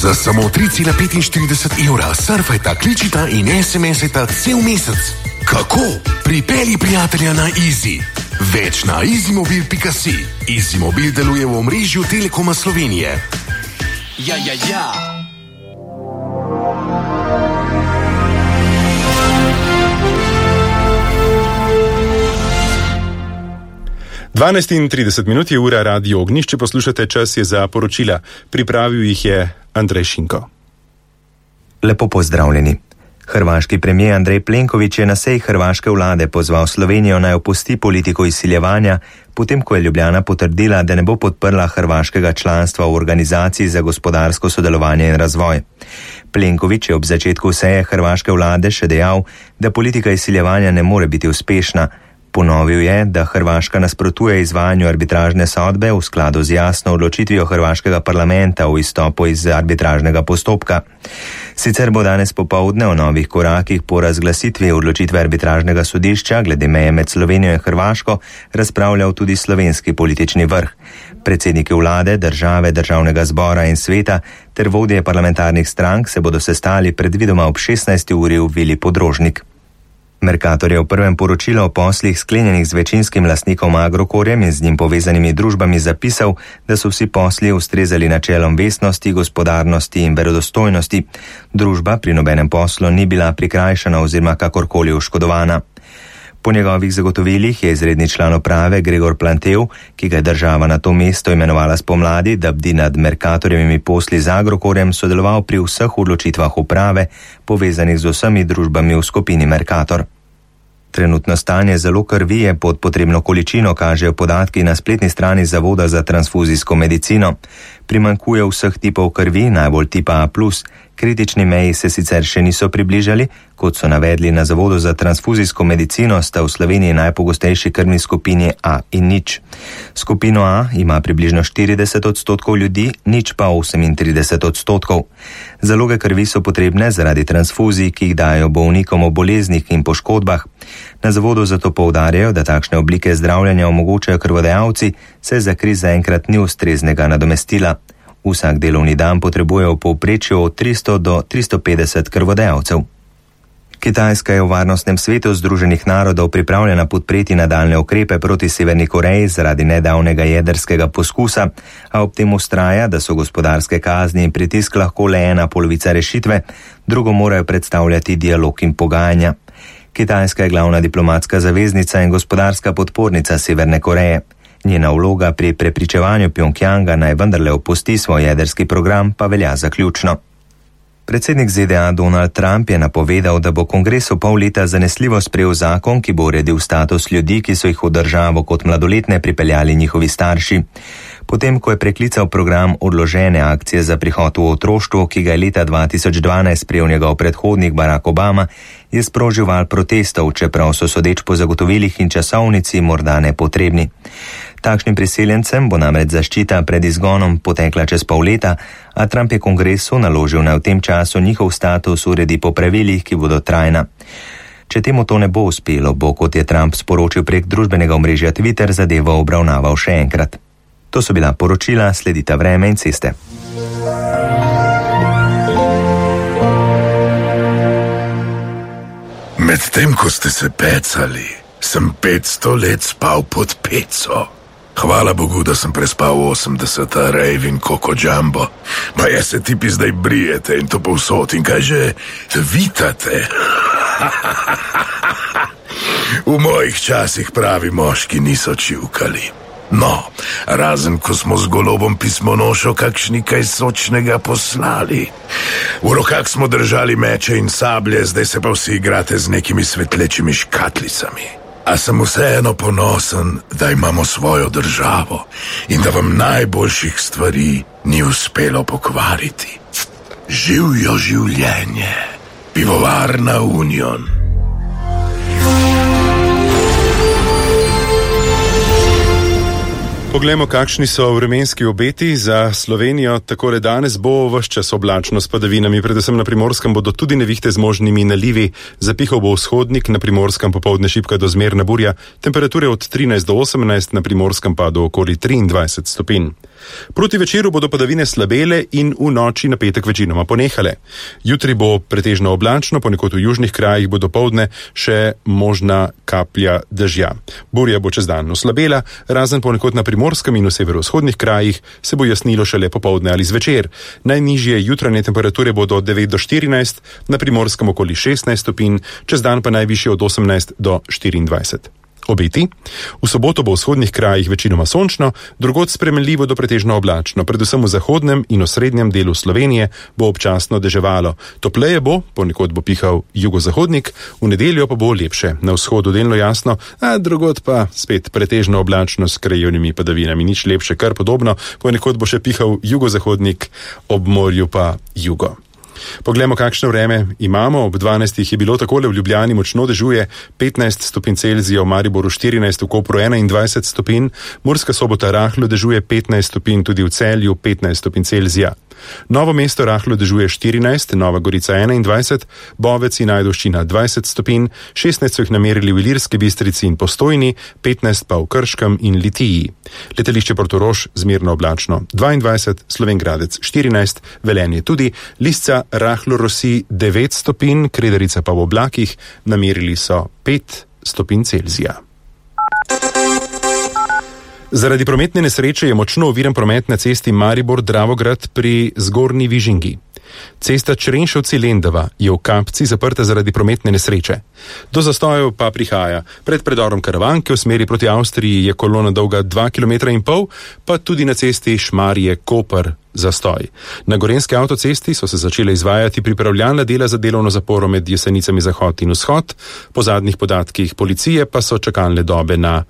Za samo 3,45 evra surfajta, kličita in SMS-ajta cel mesec. Kako? Pripelji prijatelja na Easy. Več na easymobil.si. Easymobil deluje v omrežju Telekoma Slovenije. Ja. 12:30 je ura, Radio Ognjišče poslušate, čas je za poročila. Pripravil jih je Andrej Šinko. Lepo pozdravljeni. Hrvaški premijer Andrej Plenković je na seji hrvaške vlade pozval Slovenijo naj opusti politiko izsiljevanja, potem ko je Ljubljana potrdila, da ne bo podprla hrvaškega članstva v Organizaciji za gospodarsko sodelovanje in razvoj. Plenković je ob začetku seje hrvaške vlade še dejal, da politika izsiljevanja ne more biti uspešna. Ponovil je, da Hrvaška nasprotuje izvajanju arbitražne sodbe v skladu z jasno odločitvijo hrvaškega parlamenta o izstopu iz arbitražnega postopka. Sicer bo danes popoldne o novih korakih po razglasitvi odločitve arbitražnega sodišča glede meje med Slovenijo in Hrvaško razpravljal tudi slovenski politični vrh. Predsedniki vlade, države, državnega zbora in sveta ter vodje parlamentarnih strank se bodo sestali predvidoma ob 16. uri v Vili Podrožnik. Mercator je v prvem poročilu o poslih sklenjenih z večinskim lastnikom Agrokorjem in z njim povezanimi družbami zapisal, da so vsi posli ustrezali načelom vestnosti, gospodarnosti in verodostojnosti. Družba pri nobenem poslu ni bila prikrajšana oziroma kakorkoli oškodovana. Po njegovih zagotovilih je izredni član uprave Gregor Plantev, ki ga je država na to mesto imenovala spomladi, da bdi nad Mercatorjevimi posli z Agrokorjem, sodeloval pri vseh odločitvah uprave, povezanih z vsemi družbami v skupini Mercator. Trenutno stanje zalog krvi je pod potrebno količino, kažejo podatki na spletni strani Zavoda za transfuzijsko medicino. Primanjkuje vseh tipov krvi, najbolj tipa A+. Kritični meji se sicer še niso približali, kot so navedli na Zavodu za transfuzijsko medicino, sta v Sloveniji najpogostejši krvni skupini A in nič. Skupino A ima približno 40% ljudi, nič pa 38%. Zaloge krvi so potrebne zaradi transfuzij, ki jih dajo bolnikom o boleznih in poškodbah. Na zavodu zato poudarjajo, da takšne oblike zdravljenja omogočajo krvodajalci, saj za kri zaenkrat ni ustreznega nadomestila. Vsak delovni dan potrebuje v povprečju od 300 do 350 krvodajalcev. Kitajska je v Varnostnem svetu Združenih narodov pripravljena podpreti nadaljne ukrepe proti Severni Koreji zaradi nedavnega jedrskega poskusa, a ob tem vztraja, da so gospodarske kazni in pritisk lahko le ena polovica rešitve, drugo morajo predstavljati dialog in pogajanja. Kitajska je glavna diplomatska zaveznica in gospodarska podpornica Severne Koreje. Njena vloga pri prepričevanju Pjongjanga naj vendarle opusti svoj jedrski program pa velja za ključno. Predsednik ZDA Donald Trump je napovedal, da bo kongres v pol leta zanesljivo sprejel zakon, ki bo uredil status ljudi, ki so jih v državo kot mladoletne pripeljali njihovi starši. Potem, ko je preklical program odložene akcije za prihod v otroštvo, ki ga je leta 2012 sprejel njegov predhodnik Barack Obama, je sprožil val protestov, čeprav so sodeč po zagotovilih in časovnici morda nepotrebni. Takšnim priseljencem bo namreč zaščita pred izgonom potekla čez pol leta, a Trump je kongresu naložil naj v tem času njihov status uredi po pravilih, ki bodo trajna. Če temu to ne bo uspelo, bo, kot je Trump sporočil prek družbenega omrežja Twitter, zadevo obravnaval še enkrat. To so bila poročila, sledita vreme in ceste. Medtem ko ste se pecali, sem 500 let spal pod peco. Hvala Bogu, da sem prespal 80 rejv in Koko Jumbo. Pa jaz se tipi zdaj brijete in to povsod in kaj že vitate. V mojih časih pravi moški niso čivkali. No, razen ko smo z golobom pismonošo kakšni kaj sočnega poslali. V rokah smo držali meče in sablje, zdaj se pa vsi igrate z nekimi svetlečimi škatlicami. A sem vseeno ponosen, da imamo svojo državo in da vam najboljših stvari ni uspelo pokvariti. Živjo življenje, pivovarna Union. Poglejmo, kakšni so vremenski obeti za Slovenijo. Takole danes bo ves čas oblačno s padavinami, predvsem na Primorskem bodo tudi nevihte z možnimi nalivi. Zapihal bo vzhodnik, na Primorskem popoldne šibka do zmerna burja, temperature od 13 do 18, na Primorskem pa do okoli 23 stopinj. Proti večeru bodo padavine slabele in v noči na petek večinoma ponehale. Jutri bo pretežno oblačno, ponekod v južnih krajih bo dopoldne še možna kaplja dežja. Burja bo čez dan oslabela, razen ponekod na Primorskem in v severovzhodnih krajih se bo jasnilo šele popoldne ali zvečer. Najnižje jutranje temperature bodo od 9 do 14, na Primorskem okoli 16 stopinj, čez dan pa najvišje od 18 do 24. Obeti. V soboto bo v vzhodnih krajih večinoma sončno, drugod spremenljivo do pretežno oblačno, predvsem v zahodnem in osrednjem delu Slovenije bo občasno deževalo. Topleje bo, ponekod bo pihal jugozahodnik, v nedeljo pa bo lepše. Na vzhodu delno jasno, a drugod pa spet pretežno oblačno s krajevnimi padavinami. Nič lepše, kar podobno, ponekod bo še pihal jugozahodnik, ob morju pa jugo. Poglejmo, kakšno vreme imamo. Ob 12. je bilo takole: v Ljubljani močno dežuje, 15 stopinj Celzija, v Mariboru 14, v Kopru 21 stopinj, Murska Sobota rahlo dežuje 15 stopinj, tudi v Celju 15 stopinj Celzija. Novo mesto rahlo dežuje 14, Nova Gorica 21, Bovec in Ajdovščina 20 stopinj, 16 so jih namerili v Ilirski Bistrici in Postojni, 15 pa v Krškem in Litiji. Letališče Portorož zmerno oblačno 22, Slovenj Gradec 14, Velenje tudi, Lisca rahlo rosi 9 stopinj, Kredarica pa v oblakih, namerili so 5 stopinj Celzija. Zaradi prometne nesreče je močno oviran promet na cesti Maribor-Dravograd pri Zgornji Vižingi. Cesta Črenšovci-Lendava je v Kapci zaprta zaradi prometne nesreče. Do zastojev pa prihaja. Pred predorom Karavanke v smeri proti Avstriji je kolona dolga 2,5 km, pa tudi na cesti Šmarje-Koper zastoj. Na gorenski avtocesti so se začele izvajati pripravljalna dela za delovno zaporo med Jesenicami Zahod in Vzhod, po zadnjih podatkih policije pa so čakalne dobe na